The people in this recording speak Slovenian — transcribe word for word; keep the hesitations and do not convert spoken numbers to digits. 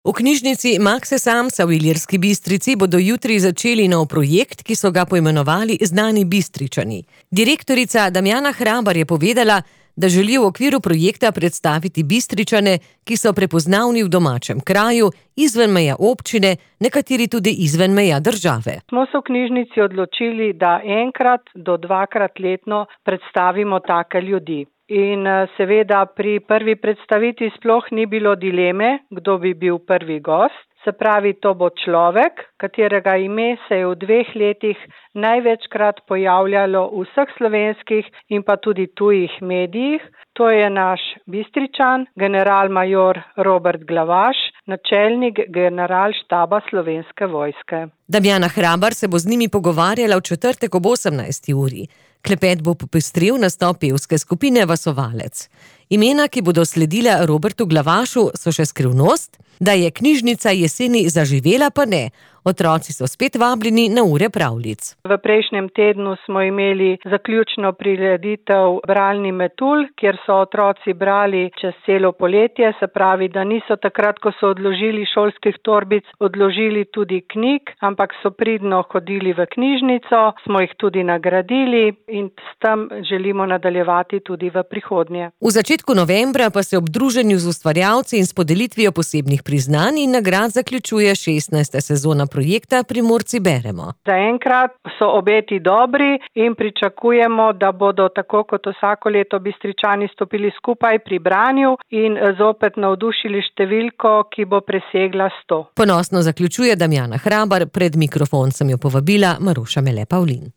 V knjižnici Makse Samsa v Ilirski Bistrici bodo jutri začeli nov projekt, ki so ga poimenovali Znani Bistričani. Direktorica Damjana Hrabar je povedala, da želi v okviru projekta predstaviti Bistričane, ki so prepoznavni v domačem kraju, izven meja občine, nekateri tudi izven meja države. Smo se v knjižnici odločili, da enkrat do dvakrat letno predstavimo take ljudi. In seveda pri prvi predstavitvi sploh ni bilo dileme, kdo bi bil prvi gost. Se pravi, to bo človek, katerega ime se je v dveh letih največkrat pojavljalo v vseh slovenskih in pa tudi tujih medijih. To je naš Bistričan, generalmajor Robert Glavaš, načelnik generalštaba Slovenske vojske. Damjana Hrabar se bo z njimi pogovarjala v četrtek ob osemnajsti uri. Klepet bo popestril nastop pevske skupine Vasovalec. Imena, ki bodo sledila Robertu Glavašu, so še skrivnost, da je knjižnica jeseni zaživela, pa ne. Otroci so spet vabljeni na ure pravljic. V prejšnjem tednu smo imeli zaključno prireditev Bralni metulj, kjer so otroci brali čez celo poletje, se pravi, da niso takrat, ko so odložili šolskih torbic, odložili tudi knjig, ampak so pridno hodili v knjižnico, smo jih tudi nagradili in s tem želimo nadaljevati tudi v prihodnje. V začetku novembra pa se ob druženju z ustvarjalci in s podelitvijo posebnih priznanj in nagrad zaključuje šestnajsta sezona projekta Primorci beremo. Zaenkrat so obeti dobri in pričakujemo, da bodo tako kot vsako leto Bistričani stopili skupaj pri branju in zopet navdušili številko, ki bo presegla sto. Ponosno zaključuje Damjana Hrabar, pred mikrofon sem jo povabila Maruša Mele Pavlin.